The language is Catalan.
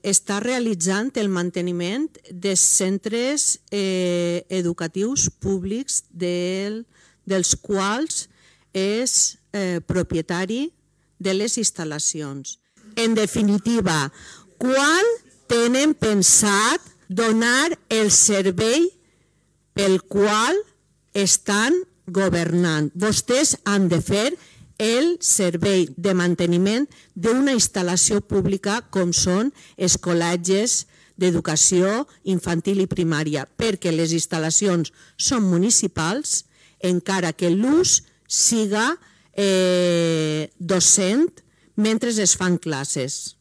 està realitzant el manteniment dels centres educatius públics dels quals és propietari de les instal·lacions. En definitiva, quan tenen pensat donar el servei pel qual estan governant? Vostès han de fer el servei de manteniment d'una instal·lació pública com són els col·legis d'educació infantil i primària, perquè les instal·lacions són municipals, encara que l'ús siga docent mentre es fan classes.